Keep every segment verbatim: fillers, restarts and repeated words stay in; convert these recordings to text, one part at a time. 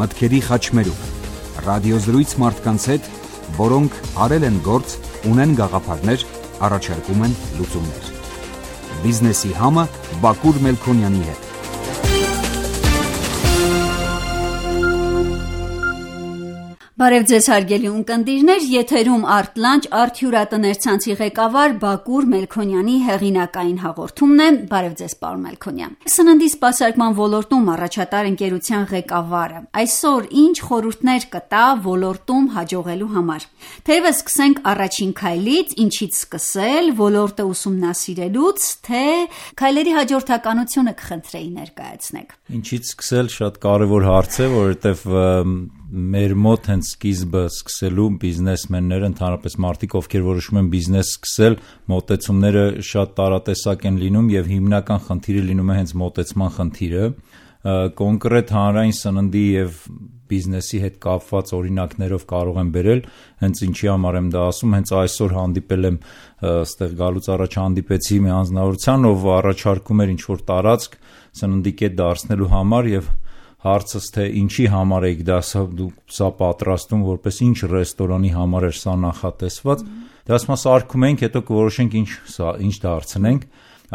մտքերի խաչմերուկ, ռադիոզրույց մարդկանց հետ, որոնք արել են գործ, ունեն գաղափարներ, առաջարկում են լուծումներ։ Բիզնեսի համը Բակուր Մելքոնյանի հետ։ Բարև ձեզ հարգելի ունկնդիրներ, եթերում Արտլանչ արդյուրատներ ցանցի ղեկավար Բակուր Մելքոնյանի հեղինակային հաղորդումն է։ Բարև ձեզ, պարոն Մելքոնյան։ Սննդի սպասարկման ոլորտում առաջատար ընկերության ղեկավարը այսօր ինչ խորհուրդներ կտա ոլորտում հաջողելու համար։ Թեևս սկսենք առաջին քայլից, ինչից սկսել, ոլորտը ուսումնասիրելուց, թե քայլերի հաջորդականությունը կխնդրեի ներկայացնեք։ Ինչից սկսել շատ կարևոր հարց է, որովհետև մեր մոտ հենց սկիզբը սկսելու բիզնեսմենները, ընդհանրապես մարդիկ, ովքեր որոշում են բիզնես սկսել, մոտեցումները շատ տարատեսակ են լինում եւ հիմնական խնդիրը լինում է հենց մոտեցման խնդիրը։ Կոնկրետ հանրային սննդի եւ բիզնեսի հետ կապված օրինակներով կարող եմ բերել, հենց ինչի համար եմ դա ասում, հենց այսօր հանդիպել եմ, այստեղ գալուց առաջ հանդիպեցի մի անձնավորության, ով առաջարկում էր ինչ-որ տարածք սննդի կետ դարձնելու համար եւ հարցս թե ինչի համար եք դա սա պատրաստում, որպես ինչ ռեստորանի համար էր սա նախատեսված, դրաց մաս արկում ենք, հետո կորոշենք ինչ սա ինչ դարձնենք,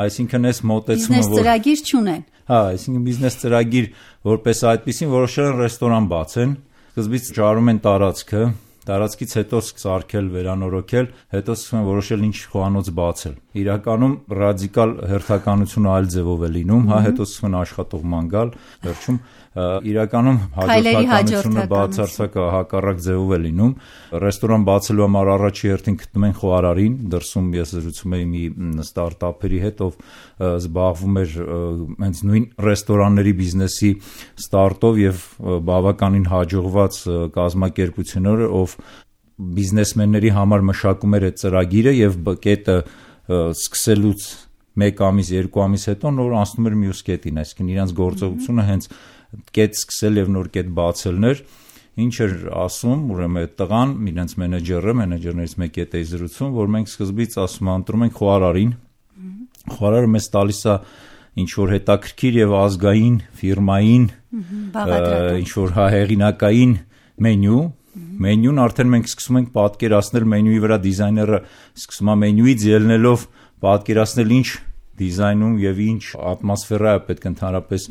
այսինքն այս մոտեցումը բիզնես ծրագիր չունեն։ Հա, այսինքն բիզնես ծրագիր որպես այդպեսին որոշել են ռեստորան բացեն, սկզբից ճարում են տարածքը, տարածքից հետո սարքել, վերանորոգել, հետո սկսում են որոշել ինչ խոհանոց բացել։ Իրականում ռադիկալ հերթականությունը այլ ձևով է լինում, հա, հետո սկսում են աշխատողման գալ, վերջում իրականում հաջորդականությունը բացարձակ հակառակ ձևով է լինում։ Ռեստորան բացելու համար առաջի հերթին գտնում են խոհարարին, դրսում ես զրուցում էի մի ստարտափերի հետ, ով զբաղվում էր հենց նույն ռեստորանների բիզնեսի ստարտով եւ բավականին հաջողված կազմակերպություններ, ով բիզնեսմենների համար մշակում էր այդ ծրագիրը եւ կետը սկսելուց մեկ ամիս, երկու ամիս հետո նոր անցնում էր մյուս կետին, այսինքն իրանց գործողությունը հենց կետ սկսել եւ նոր կետ բացելն էր, ինչ էր ասում, ուրեմն այդ տղան, իրենց մենեջերը, մենեջերներից մեկի հետ էի զրուցում, որ մենք սկզբից ասում ընտրում ենք խոհարարին, խոհարարը մեզ տալիս է ինչ որ հետաքրքիր եւ ազգային ֆիրմային, ինչ որ հեղինակային մենյու, մենյուն արդեն մենք սկսում ենք պատկերացնել մենյուի վրա դիզայները սկսում է մենյուից ելնելով պատկերացնել ինչ դիզայնում եւ ինչ ատմոսֆերա է պետք ընդհանրապես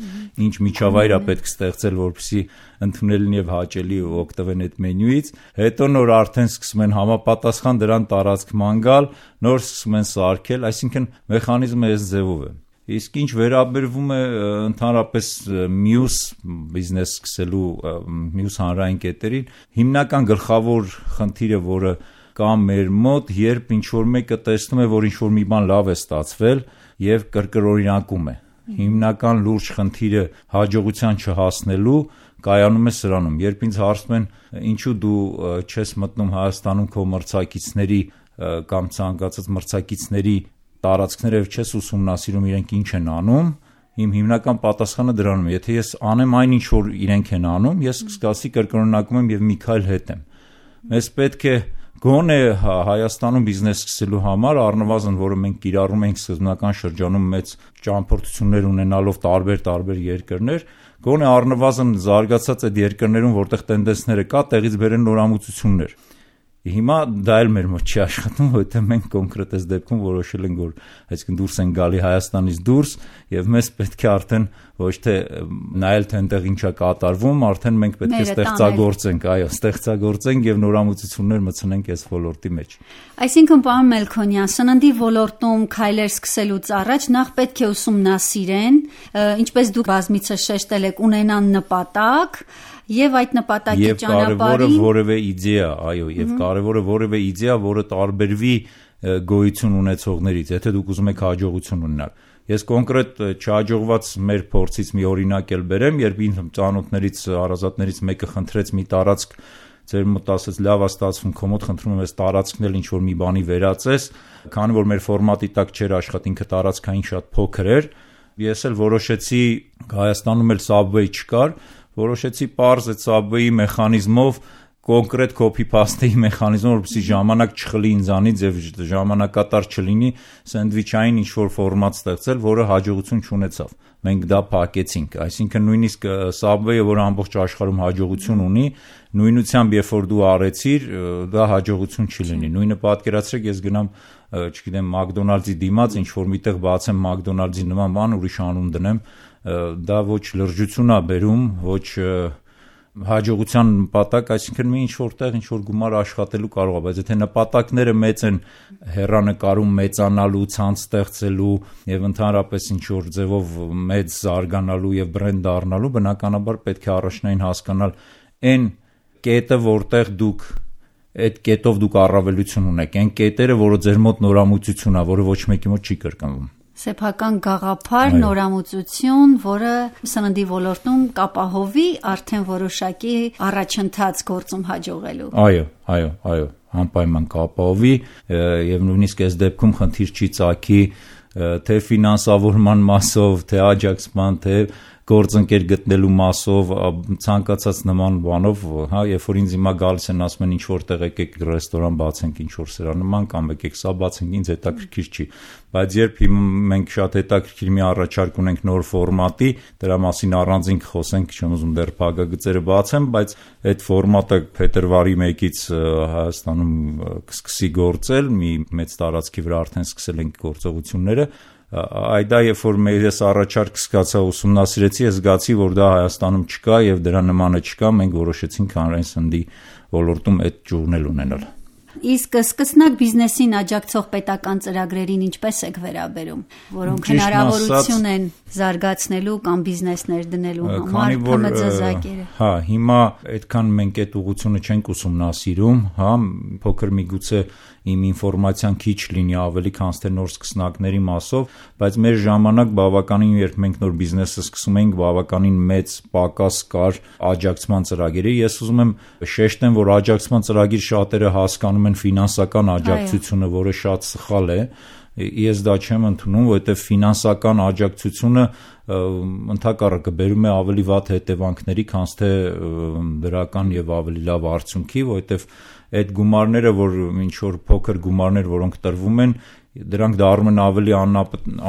ինչ միջավայր է պետք ստեղծել, որպեսզի ընդունելին եւ հաճելի օգտվեն այդ մենյուից, հետո նոր արդեն սկսում են համապատասխան դրան տարածքման գալ, նոր սկսում են սարքել, այսինքն մեխանիզմը այս ձևով է։ Իսկ ինչ վերաբերվում է ընդհանրապես մյուս բիզնես սկսելու մյուս հանրային կետերին, հիմնական գլխավոր խնդիրը, որը կա մեր մոտ, երբ ինչ-որ մեկը տեսնում է, որ ինչ-որ մի բան լավ է ստացվել եւ կրկրօրինակում է։ Հիմնական լուրջ խնդիրը հաջողության չհասնելու կայանում է սրանում։ Երբ ինձ հարցնում են, ինչու դու չես մտնում Հայաստանում քո մրցակիցների կամ ցանկացած մրցակիցների տարածքները չես ուսումնասիրում իրենք ինչ են անում, իմ հիմնական պատասխանը դրանում է, եթե ես անեմ այն ինչ որ իրենք են անում, ես կսկսի կրկնօրինակում եմ եւ մի քայլ հետ եմ։ Մեզ պետք է գոնե Հայաստանում բիզնես սկսելու համար առնվազն, որը մենք կիրառում ենք սկզբնական շրջանում մեծ ճամփորդություններ ունենալով տարբեր-տարբեր երկրներ, գոնե առնվազն զարգացած այդ երկրներում, որտեղ տենդենսները կա, տեղից բերեն նորամուծություններ։ Հիմա դա էլ մեր մոտ չի աշխատում, որովհետև մենք կոնկրետ այս դեպքում որոշել ենք, որ այսինքն դուրս են գալի Հայաստանից դուրս եւ մեզ պետք է արդեն ոչ թե նայել թե այնտեղ ինչա կատարվում, արդեն մենք պետք է ստեղծագործենք, այո, ստեղծագործենք եւ նորամուծություններ մտցնենք այս ոլորտի մեջ։ Այսինքն, պարոն Մելքոնյան, սննդի ոլորտում քայլեր սկսելուց առաջ նախ պետք է ուսումնասիրեն, ինչպես դուք բազմիցս շեշտել եք, ունենան նպատակ եւ այդ նպատակի ճանապարհին եւ կարեւորը որևէ իդեա, այո, եւ կարեւորը որևէ իդեա, որը տարբերվի գոյություն ունեցողներից, եթե դուք ուզում եք հաջողություն ունենալ։ Ես կոնկրետ չհաջողված մեր փորձից մի օրինակ էլ բերեմ, երբ ինձ ծանոթներից, հարազատներից մեկը խնդրեց մի տարածք, ձեր մոտ ասեց լավ է ստացվում, քո մոտ խնդրում եմ այս տարածքն էլ ինչ որ մի բանի վերածես, քանի որ մեր ֆորմատի տակ չէր աշխատի, ինքը տարածքային շատ փոքր էր, ես էլ որոշեցի, Հայաստանում էլ Subway չկար, որոշեցի պարզ այդ Subway-ի մեխանիզմով կոնկրետ copy-paste-ի մեխանիզմ, որպեսզի ժամանակ չխլի ինձանից եւ ժամանակատար չլինի սենդվիչային ինչ-որ ֆորմատ ստեղծել, որը հաջողություն չունեցավ։ Մենք դա փակեցինք, այսինքն նույնիսկ Subway-ը, որ ամբողջ աշխարհում հաջողություն ունի, նույնությամբ երբ որ դու արեցիր, դա հաջողություն չի լինի։ Նույնը պատկերացրեք, ես գնամ, չգիտեմ, McDonald's-ի դիմաց ինչ-որ միտեղ բացեմ McDonald's-ի նման բան, ուրիշ անուն դնեմ, դա ոչ լրջություն է բերում, ոչ հաջողության նպատակ, այսինքն մի ինչ-որ տեղ ինչ-որ գումար աշխատելու կարող է, բայց եթե նպատակները մեծ են հեռանկարում մեծանալու, ցանց ստեղծելու եւ ընդհանրապես ինչ-որ ձևով մեծ զարգանալու եւ բրենդ դառնալու, բնականաբար պետք է առաջնային հասկանալ այն կետը, որտեղ դուք այդ կետով դուք առավելություն ունեք, այն կետերը, որը ձեր մոտ նորամուծություն է, որը ոչ մեկի մոտ չի կրկնվում։ Սեփական գաղափար, նորամուծություն, որը սննդի ոլորտում կապահովի արդեն որոշակի առաջընթաց գործում հաջողելու։ Այո, այո, այո, անպայման կապահովի եւ նույնիսկ այս դեպքում խնդիր չի ծագի թե ֆինանսավորման մասով, թե աջակցման, թե գործընկեր գտնելու մասով, ցանկացած նման բանով, հա, երբ որ ինձ հիմա գալիս են ասում են ինչ որտեղ եկեք ռեստորան բացենք, ինչ որ սրանման կամ եկեք սա բացենք, ինձ հետաքրքիր չի, բայց երբ մենք շատ հետաքրքիր մի առաջարկ ունենք նոր ֆորմատի, դրա մասին առանձին կխոսենք, չեմ ուզում դեռ փակագծերը բացեմ, բայց այդ ֆորմատը փետրվարի մեկից Հայաստանում կսկսի գործել, մի մեծ տարածքի վրա արդեն սկսել ենք գործողությունները։ Այդա երբ որ մեզ առաջարկ սկացա ուսումնասիրեցի, ես զգացի, որ դա Հայաստանում չկա եւ դրա նմանը չկա, մենք որոշեցինք հանրային սննդի ոլորտում այդ ճյուղն էլ ունենալ։ Իսկ սկսնակ բիզնեսին աջակցող պետական ծրագրերին ինչպես եք վերաբերում, որոնք հնարավորություն են զարգացնելու կամ բիզնեսներ դնելու համար համաձայնակերը։ Հա, հիմա այդքան մենք այդ ուղղությունը չենք ուսումնասիրում, հա, փոքր միգուցե իմ ինֆորմացիան քիչ լինի ավելի քան թե նոր սկսնակների մասով, բայց մեր ժամանակ բավականին երբ մենք նոր բիզնեսը սկսում էինք, բավականին մեծ պակաս կար աջակցման ծրագրերի։ Ես ուզում եմ շեշտեմ, որ աջակցման ծրագիր շատերը հասկանում են ֆինանսական աջակցությունը, որը շատ սխալ է։ Ես դա չեմ ընդունում, որովհետև ֆինանսական աջակցությունը ընդհակառակը բերում է ավելի վատ հետևանքների, քան թե դրական եւ ավելի լավ արդյունքի, որովհետև այդ գումարները, որ ինչ որ փոքր գումարներ, որոնք տրվում են, դրանք դառնում են ավելի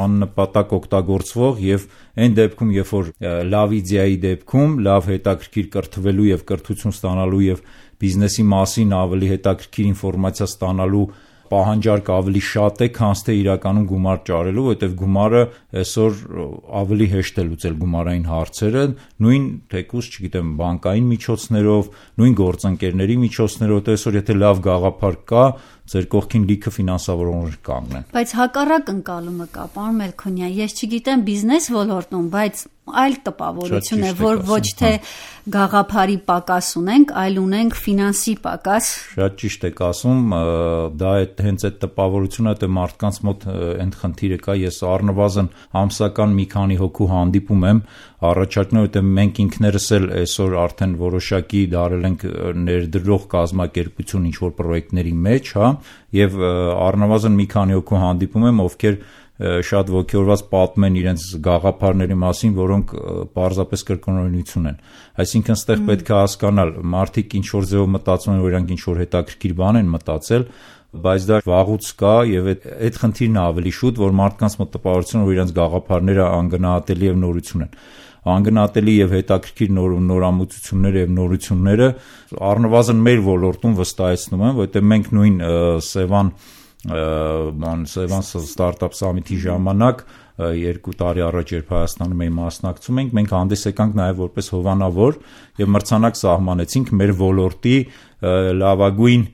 աննպատակ օգտագործվող եւ այն դեպքում, երբ որ լավ իդեայի դեպքում, լավ հետաքրքիր կրթվելու եւ կրթություն ստանալու եւ բիզնեսի մասին ավելի հետաքրքիր ինֆորմացիա ստանալու պահանջարկը ավելի շատ է, քան թե իրականում գումար ճարելու, որովհետև գումարը այսօր ավելի հեշտ է լուծել գումարային հարցերը, նույն թեկուզ, չգիտեմ, բանկային միջոցներով, նույն գործընկերների միջոցներով, այսօր եթե լավ գաղափար կա, ձեր կողքին լիքը ֆինանսավորողներ կանգնեն։ Բայց հակառակ ընկալումը կա, պարոն Մելքոնյան, ես չգիտեմ բիզնես ոլորտում, բայց այլ տպավորություն է, որ ոչ թե գաղափարի պակաս ունենք, այլ ունենք ֆինանսի պակաս։ Շատ ճիշտ եք ասում, դա հենց այդ տպավորությունը, թե մարդկանց մոտ այդ խնդիրը կա, ես առնվազն ամսական մի քանի հոգու հանդիպում եմ, առաջարկներ, որտեղ մենք ինքներս էլ այսօր արդեն որոշակի դարել ենք ներդրող կազմակերպություն ինչ-որ պրոյեկտների մեջ, հա, եւ առնվազն մի քանի հոգու հանդիպում եմ, ովքեր շատ ոգևորված պատմում են իրենց գաղափարների մասին, որոնք պարզապես կրկնօրինություն են։ Այսինքն ստեղ պետք է հասկանալ, մարդիկ ինչ որ ձևով մտածում են, որ իրանք ինչ որ հետաքրքիր բան են մտածել, բայց դա վաղուց կա եւ այդ այդ խնդիրն է ավելի շուտ, որ մարդկանց մոտ տպավորություն, որ իրենց գաղափարները անգնահատելի եւ նորություն են։ Անգնահատելի եւ հետաքրքիր նոր նորամուծությունները եւ նորությունները առնվազն մեր ոլորտում վստահեցնում են, որովհետեւ մենք նույն Սևան ման Սևան ստարտափ սամիթի ժամանակ երկու տարի առաջ երբ Հայաստանում էի մասնակցում ենք, մենք հանդես եկանք նաև որպես հովանավոր եւ մրցանակ սահմանեցինք մեր ոլորտի լավագույն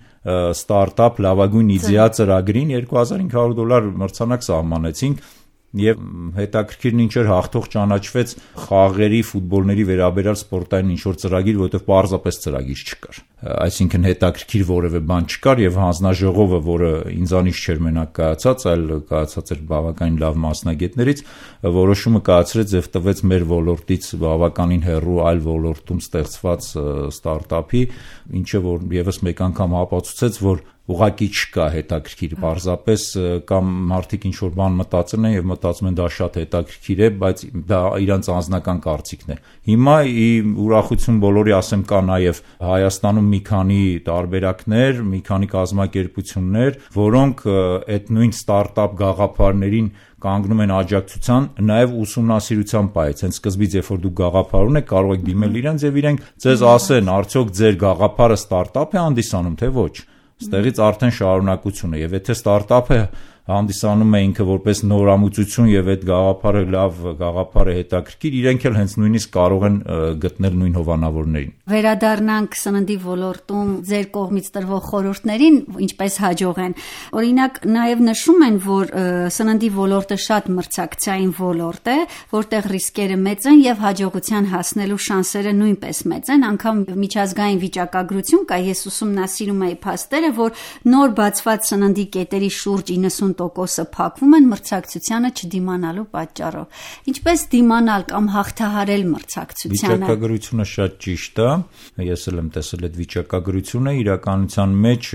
ստարտափ, լավագույն իդեա ծրագրին երկու հազար հինգ հարյուր դոլար մրցանակ սահմանեցինք եւ հետաքրքիրն ինչ էր հաղթող ճանաչվեց խաղերի, ֆուտբոլների վերաբերյալ սպորտային ինչ-որ ծրագիր, որովհետեւ պարզապես ծրագիր չկար։ Այսինքն հետաքրքիր որևէ բան չկար եւ հանձնաժողովը, որը ինձանից չէր մենակ կայացած, այլ կայացած էր բավականին լավ մասնագետներից, որոշումը կայացրեց եւ տվեց մեր ոլորտից բավականին հեռու այլ ոլորտում ստեղծված ստարտափի, ինչը որ եւս մեկ անգամ ապացուցեց, որ ուղղակի չկա հետաքրքիր, պարզապես կամ մարդիկ ինչ որ բան մտածում են եւ մտածում են դա շատ հետաքրքիր է, բայց դա իրանց անձնական կարծիքն է։ Հիմա ի ուրախություն բոլորի ասեմ կա նաեւ Հայաստանում մի մի քանի տարբերակներ, մի քանի կազմակերպություններ, որոնք այդ նույն ստարտափ գաղափարներին կանգնում են աջակցության, նաև ուսումնասիրության պայից։ Հենց սկզբից, երբ որ դուք գաղափար ունեք, կարող եք դիմել իրենց եւ իրենք ձեզ ասեն, արդյոք ձեր գաղափարը ստարտափ է հանդիսանում, թե ոչ։ Ստեղից արդեն շարունակություն է, եւ եթե ստարտափը հանդիսանում է ինքը որպես նորամուծություն եւ այդ գաղափարը լավ գաղափար է հետաքրքիր, իրենք էլ հենց նույնիսկ կարող են գտնել նույն հովանավորներին։ Վերադառնանք սննդի ոլորտում ձեր կողմից տրվող խորհուրդներին, ինչպես հաջող են։ Օրինակ, նաեւ նշում են, որ սննդի ոլորտը շատ մրցակցային ոլորտ է, որտեղ ռիսկերը մեծ են եւ հաջողության հասնելու շանսերը նույնպես մեծ են, անգամ միջազգային վիճակագրություն կա, ես ուսումնասիրում էի փաստերը, որ նոր բացված սննդի կետերի շուրջ իննսուն տոկոսը փակվում են մրցակցությանը չդիմանալու պատճառով։ Ինչպես դիմանալ կամ հաղթահարել մրցակցությանը։ Վիճակագրությունը շատ ճիշտ է, ես էլ եմ տեսել այդ վիճակագրությունը, իրականության մեջ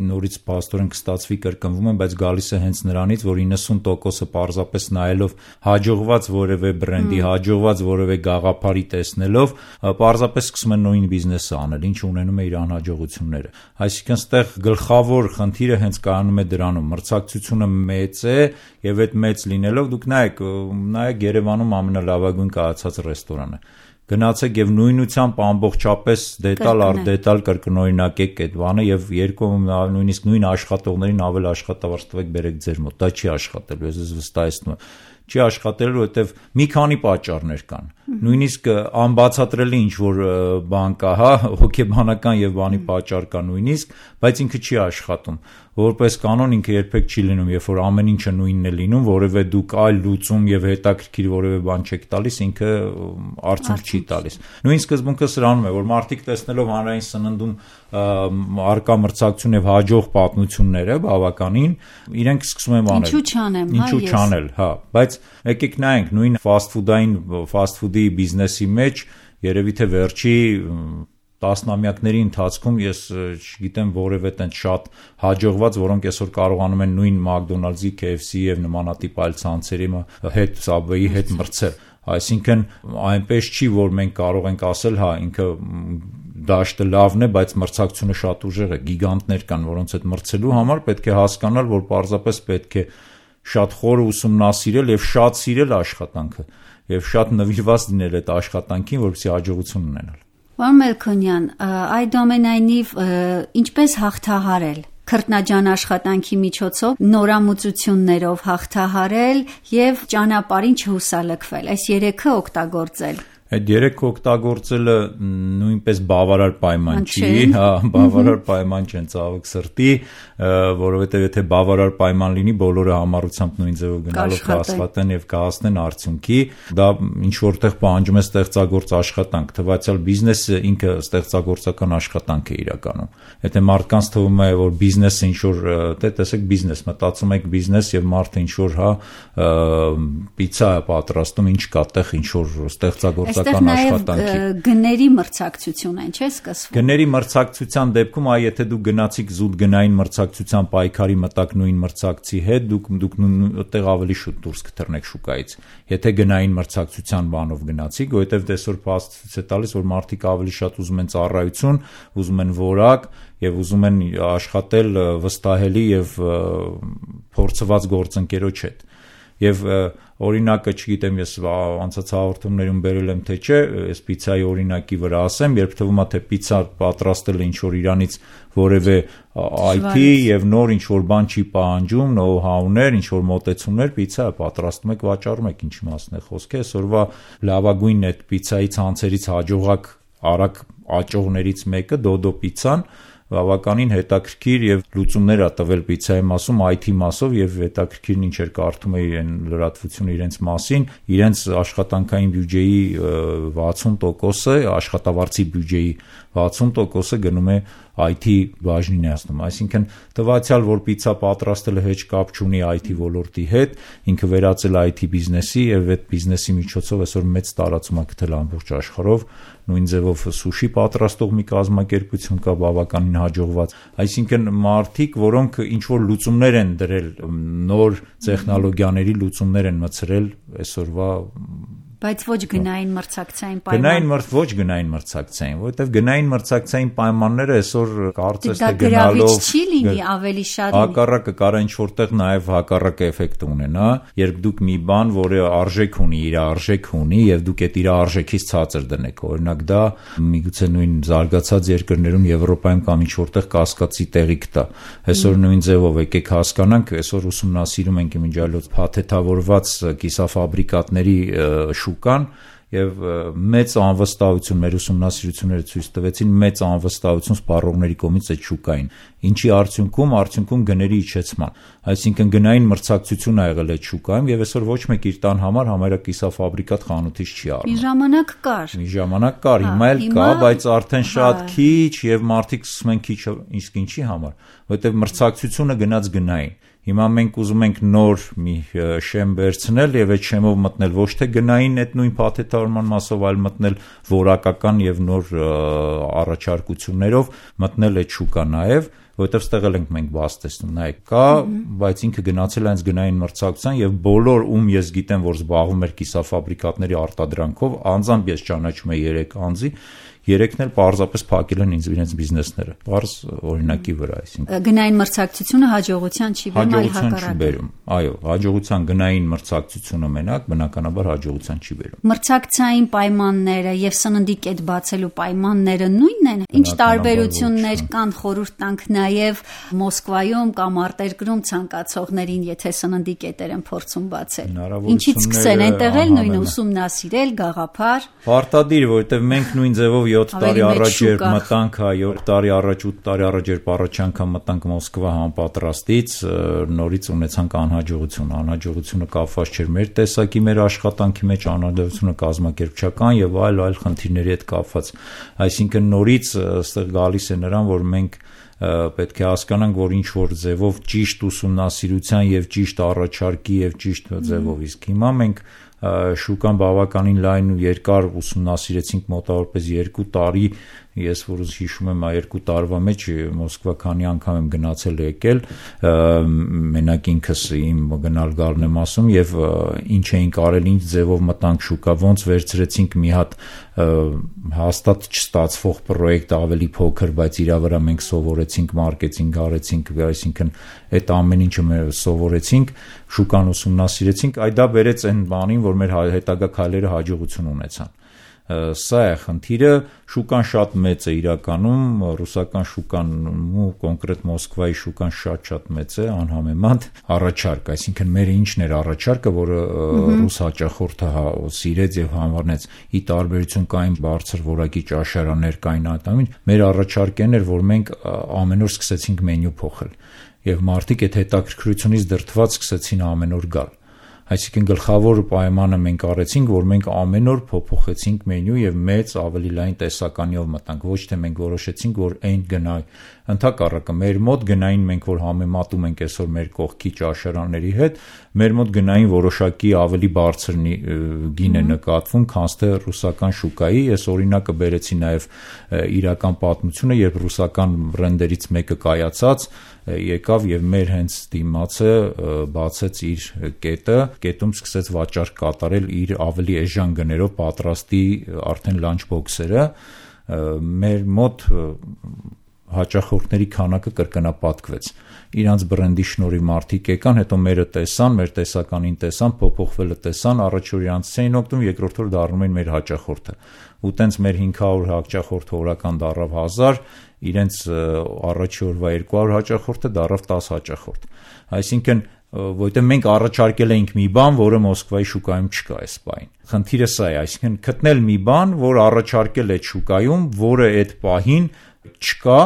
նորից փաստորեն կստացվի կրկնվում են, բայց գալիս է հենց նրանից, որ իննսուն տոկոսը պարզապես նայելով հաջողված որևէ բրենդի, հաջողված որևէ գաղափարի տեսնելով, պարզապես սկսում են նույն բիզնեսը անել, ինչը ունենում է իր անհաջողությունները։ Այսինքն, ստեղ գլխավոր խնդիրը հենց կայանում է դրանում, մրցակցությունը մեծ է եւ այդ մեծ լինելով դուք նայեք, նայեք Երևանում ամենալավագույն կայացած ռեստորանը։ Գնացեք եւ նույնությամբ ամբողջապես դետալ առ դետալ կրկնօրինակեք այդ բանը եւ երկու նույնիսկ նույն աշխատողներին ավել աշխատավարձ տվեք բերեք ձեր մոտ։ Դա չի աշխատելու, ես ձեզ վստահեցնում եմ։ Չի աշխատելու, որովհետև մի քանի պատճառներ կան։ Նույնիսկ անբացատրելի ինչ որ բան կա, հա, հոգեբանական եւ բանի պատճառ կա նույնիսկ, բայց ինքը չի աշխատում։ Որպես կանոն ինքը երբեք չի լինում, երբ որ ամեն ինչը նույնն է լինում, որևէ դուք այլ լուծում եւ հետաքրքիր որևէ բան չեք տալիս, ինքը արդյունք չի տալիս։ Նույն սկզբունքը սրանում է, որ մարդիկ տեսնելով հանրային սննդում արկա մրցակցություն եւ հաջող պատմությունները բավականին, իրենք սկսում են անել։ Ինչու չանեմ, հա, Ինչու չանել, հա, բայց եկեք նայենք նույն ֆաստ ֆուդային ֆաստ ֆուդի բիզնեսի մեջ երևի թե վերջի տասնամյակների ընթացքում ես չգիտեմ որևէ տենց շատ հաջողված, որոնք այսօր կարողանում են նույն McDonald's-ի, K F C-ի եւ նմանատիպ այլ ցանցերի հետ, Subway-ի հետ մրցել։ Այսինքն այնպես չի, որ մենք կարող ենք ասել, հա, ինքը դաշտը լավն է, բայց մրցակցությունը շատ ուժեղ է, գիգանտներ կան, որոնց հետ մրցելու համար պետք է հասկանալ, որ պարզապես պետք է շատ խորը ուսումնասիրել եւ շատ սիրել աշխատանքը եւ շատ նվիրված լինել այդ աշխատանքին, որպեսզի հաջողություն ունենալ։ Պարոն Մելքոնյան, այդուամենայնիվ ինչպես հաղթահարել քրտնաջան աշխատանքի միջոցով նորամուծություններով հաղթահարել եւ ճանապարհին չհուսալքվել, այս երեքը օգտագործել։ Այդ երեքը օգտագործելը նույնպես բավարար պայման չի, հա, բավարար պայման չեն ցավոք սրտի, որովհետև եթե բավարար պայման լինի, բոլորը համառությամբ նույն ձևով գնալով կաշխատեն եւ կհասնեն արդյունքի, դա ինչ որտեղ պահանջում է ստեղծագործ աշխատանք, թվացial բիզնեսը ինքը ստեղծագործական աշխատանք է իրականում։ Եթե մարդկանց թվում է, որ բիզնեսը ինչ որ, դե տեսեք բիզնես, մտածում եք բիզնես եւ մարդը ինչ որ, հա, պիցա է պատրաստում, ինչ կա տեղ ինչ որ ստեղծագործական աշխատանքի։ Գների մրցակցություն են, չէ՞ սկսվում։ Գների մրցակցության դեպքում, այ եթե դուք գնացիք զուտ գնային մրցակցության պայքարի մտակ նույն մրցակցի հետ, դուք դուք այդտեղ ավելի շուտ դուրս կթռնեք շուկայից։ Եթե գնային մրցակցության բանով գնացիք, որովհետև դեսօր փաստ ցույց է տալիս, որ մարդիկ ավելի շատ ուզում են ծառայություն, ուզում են որակ եւ ուզում են աշխատել վստահելի եւ փորձված գործընկերոջ հետ։ Եվ օրինակը, չգիտեմ, ես անցած հաղորդումներում բերել եմ թե չէ, այս պիցայի օրինակի վրա ասեմ, երբ թվում է թե պիցա պատրաստելը ինչ որ իրանից որևէ I T եւ նոր ինչ որ բան չի պահանջում, know-how-ներ, ինչ որ մոտեցումներ, պիցա պատրաստում եք, վաճառում եք, ինչի մասն է խոսքը, այսօրվա լավագույն այդ պիցայի ցանցերից հաջողակ արագ աճողներից մեկը Dodo պիցան բավականին հետաքրքիր եւ լուծումներ ա տվել պիցայի մասում I T մասով եւ հետաքրքիրն ինչ էր կարդում էի այն լրատվությունը իրենց մասին, իրենց աշխատանքային բյուջեի վաթսուն տոկոսը, աշխատավարձի բյուջեի վաթսուն տոկոսը գնում է I T բաժնին է ասում, այսինքն տվյալ որ պիցա պատրաստելը հեչ կապ չունի I T ոլորտի հետ, ինքը վերածել I T բիզնեսի եւ այդ բիզնեսի միջոցով այսօր մեծ տարածում է գտել ամբողջ աշխարհով, նույն ձևով սուշի պատրաստող մի կազմակերպություն կա բավականին հաջողված, այսինքն մարդիկ, որոնք ինչ որ լուծումներ են դրել, նոր տեխնոլոգիաների լուծումներ են մցրել այսօրվա Բայց ոչ գնային մրցակցային պայման։ Գնային մրց ոչ գնային մրցակցային, որովհետև գնային մրցակցային պայմանները այսօր կարծես թե գնալով չի լինի ավելի շատ։ Հակառակը կարող ինչ որտեղ նաև հակառակ էֆեկտ ունենա, երբ դուք մի բան, որը արժեք ունի, իր արժեք ունի եւ դուք այդ իր արժեքից ցածր դնեք։ Օրինակ դա միգուցե նույն զարգացած երկրներում Եվրոպայում կամ ինչ որտեղ կասկածի տեղիք տա։ Այսօր նույն ձևով եկեք հասկանանք, այսօր ուսումնասիրում ենք իմիջիալոց փաթեթավորված կիսաֆաբրիկատների շուկան եւ մեծ անվստահություն մեր ուսումնասիրությունները ցույց տվեցին մեծ անվստահություն սպառողների կողմից այդ շուկային, ինչի արդյունքում արդյունքում գների իջեցման, այսինքն գնային մրցակցություն ա եղել այդ շուկայում եւ այսօր ոչ մեկ իր տան համար համարյա կիսաֆաբրիկատ խանութից չի առնում։ Մի ժամանակ կար։ Մի ժամանակ կար, հիմա էլ կա, բայց արդեն շատ քիչ եւ մարդիկ սկսում են քիչ, իսկ ինչի համար, որովհետեւ մրցակցությունը գնաց գնային։ Հիմա մենք ուզում ենք նոր մի շեմ վերցնել եւ այդ շեմով մտնել ոչ թե գնային այդ նույն փաթեթավորման մասով, այլ մտնել որակական եւ նոր առաջարկություններով մտնել այդ շուկա նաեւ, որովհետեւ ստեղել ենք մենք բաց տեսնում, նայեք, կա, բայց ինքը գնացել է այնց գնային մրցակցության եւ բոլոր ում ես գիտեմ, որ զբաղվում էր կիսաֆաբրիկատների արտադրանքով, անձամբ ես ճանաչում եմ երեք անձի, երեքն էլ պարզապես փակել են ինձ իրենց բիզնեսները։ Պարզ օրինակի վրա, այսինքն։ Գնային մրցակցությունը հաջողության չի բերում, այլ հակառակը։ Այո, հաջողության գնային մրցակցությունը մենակ բնականաբար հաջողության չի բերում։ Մրցակցային պայմանները եւ սննդի կետ բացելու պայմանները նույնն են։ Ինչ տարբերություններ կան, խորհուրդ տանք նաեւ Մոսկվայում կամ արտերկրում ցանկացողներին, եթե սննդի կետեր են փորձում բացել։ Ինչից սկսեն այնտեղ էլ նույն ուսումնասիրել, գաղափար։ Պարտադիր, որովհետեւ մենք նույն ձևով յոթ տարի առաջ երբ մտանք, յոթ տարի առաջ, ութ տարի առաջ երբ առաջ անգամ մտանք Մոսկվա համապատրաստից, նորից ունեցանք անհաջողություն։ Անհաջողությունը կապված չէր մեր տեսակի, մեր աշխատանքի մեջ, անհաջողությունը կազմակերպչական եւ այլ այլ խնդիրների հետ կապված։ Այսինքն նորից այստեղ գալիս է նրան, որ մենք պետք է հասկանանք, որ ինչ որ ձևով ճիշտ ուսումնասիրության եւ ճիշտ առաջարկի եւ ճիշտ ձևով, իսկ հիմա մենք շուկան բավականին լայն ու երկար ուսումնասիրեցինք մոտավորապես երկու տարի, ես որ հիշում եմ երկու տարվա մեջ Մոսկվա քանի անգամ եմ գնացել եկել, մենակ ինքս իմ գնալ գալն եմ ասում եւ ինչ էինք արել, ինչ ձևով մտանք շուկա, ոնց վերցրեցինք մի հատ հաստատ չստացվող պրոյեկտ ավելի փոքր, բայց իրա վրա մենք սովորեցինք, մարքեթինգ արեցինք, այսինքն այդ ամեն ինչը մենք սովորեցինք, շուկան ուսումնասիրեցինք, այ դա բերեց այն բանին, որ մեր հետագա քայլերը հաջողություն ունեցան։ Սա է խնդիրը, շուկան շատ մեծ է իրականում, ռուսական շուկան ու կոնկրետ Մոսկվայի շուկան շատ-շատ մեծ է, անհամեմատ առաջարկ, այսինքն մեր ինչն էր առաջարկը, որը ռուս հաճախորդը սիրեց եւ համարնեց, ի տարբերություն կային բարձր որակի ճաշարաններ կային այդամին, մեր առաջարկն էր, որ մենք ամեն օր սկսեցինք մենյու փոխել եւ մարդիկ այդ հետաքրքրությունից դրդված սկսեցին ամեն օր գալ։ Այսինքն գլխավոր պայմանը մենք արեցինք, որ մենք ամեն օր փոփոխեցինք մենյու եւ մեծ ավելի լայն տեսականիով մտանք, ոչ թե մենք որոշեցինք, որ այն գնա, ընդհակառակը մեր մոտ գնային մենք որ համեմատում ենք այսօր մեր կողքի ճաշարանների հետ, մեր մոտ գնային որոշակի ավելի բարձր գին է նկատվում, քան թե ռուսական շուկայի, ես օրինակը բերեցի նաեւ իրական պատմությունը, երբ ռուսական բրենդերից մեկը կայացած եկավ եւ մեր հենց դիմացը բացեց իր կետը, կետում սկսեց վաճառք կատարել իր ավելի էժան գներով պատրաստի արդեն լանչ բոքսերը, մեր մոտ հաճախորդների քանակը կրկնապատկվեց։ Իրանց բրենդի շնորհիվ մարդիկ եկան, հետո մերը տեսան, մեր տեսականին տեսան, փոփոխվելը տեսան, առաջ օր իրանց էին օգտվում, երկրորդ օր դառնում էին մեր հաճախորդը։ Ու տենց մեր հինգ հարյուր հաճախորդը օրական դառավ հազար, իրենց առաջի օրվա երկու հարյուր հաճախորդը դառավ տասը հաճախորդ։ Այսինքն որտեղ մենք առաջարկել էինք մի բան, որը Մոսկվայի շուկայում չկա այս պահին։ Խնդիրը սա է, այսինքն գտնել մի բան, որ առաջարկել է շուկայում, որը այդ պահին չկա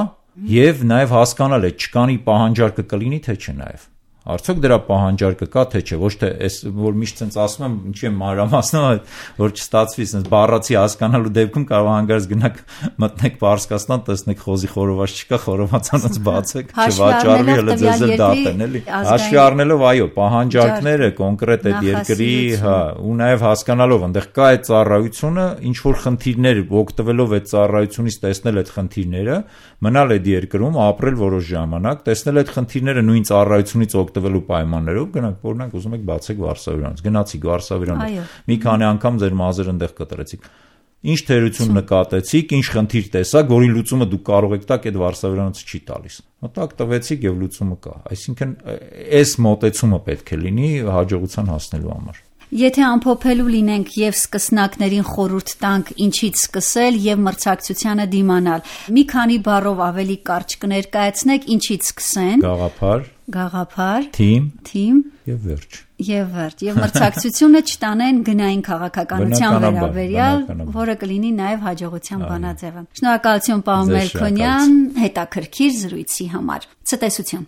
եւ նաեւ հասկանալ է չկանի պահանջարկը կլինի թե չէ նաեւ։ Արդյոք դրա պահանջարկը կա թե չէ, ոչ թե այս որ միշտ sense ասում եմ, ինչի եմ մանրամասնում, որ չստացվի sense բառացի հասկանալու դեպքում կարող հանգարց գնաք մտնեք Պարսկաստան, տեսնեք խոզի խորոված չկա, խորովածանից բացեք, չվաճառվի, հələ ձեզ էլ դատեն, էլի։ Հաշվի առնելով, այո, պահանջարկները կոնկրետ այդ երկրի, հա, ու նաեւ հասկանալով, այնտեղ կա այդ ծառայությունը, ինչ որ խնդիրներ օգտվելով այդ ծառայությունից տեսնել այդ խնդիրները, մնալ այդ երկրում, ապրել որոշ ժամանակ, տեսնել այդ խնդիրները նույն ծառայությունից օգտվել տվելու պայմաններով գնանք, օրինակ ուզում եք բացեք վարսավիրանոց, գնացիք վարսավիրանոց, մի քանի անգամ ձեր մազերը այնտեղ կտրեցիք։ Ինչ թերություն նկատեցիք, ինչ խնդիր տեսաք, որի լուծումը դուք կարող եք տակ, այդ վարսավիրանոցը չի տալիս։ Մտակ տվեցիք եւ լուծումը կա։ Այսինքն այս մոտեցումը պետք է լինի հաջողության հասնելու համար։ Եթե ամփոփելու լինենք եւ սկսնակներին խորհուրդ տանք ինչից սկսել եւ մրցակցությանը դիմանալ, մի քանի բառով ավելի կարճ կներկայացնեք ինչից սկսեն։ Գաղափար, գաղափար, թիմ, թիմ եւ վերջ։ Եվ վերջ, եւ մրցակցությունը չտանեն գնային քաղաքականության վերաբերյալ, որը կլինի նաեւ հաջողության բանաձևը։ Շնորհակալություն պարոն Մելքոնյան հետաքրքիր զրույցի համար։ Ցտեսություն։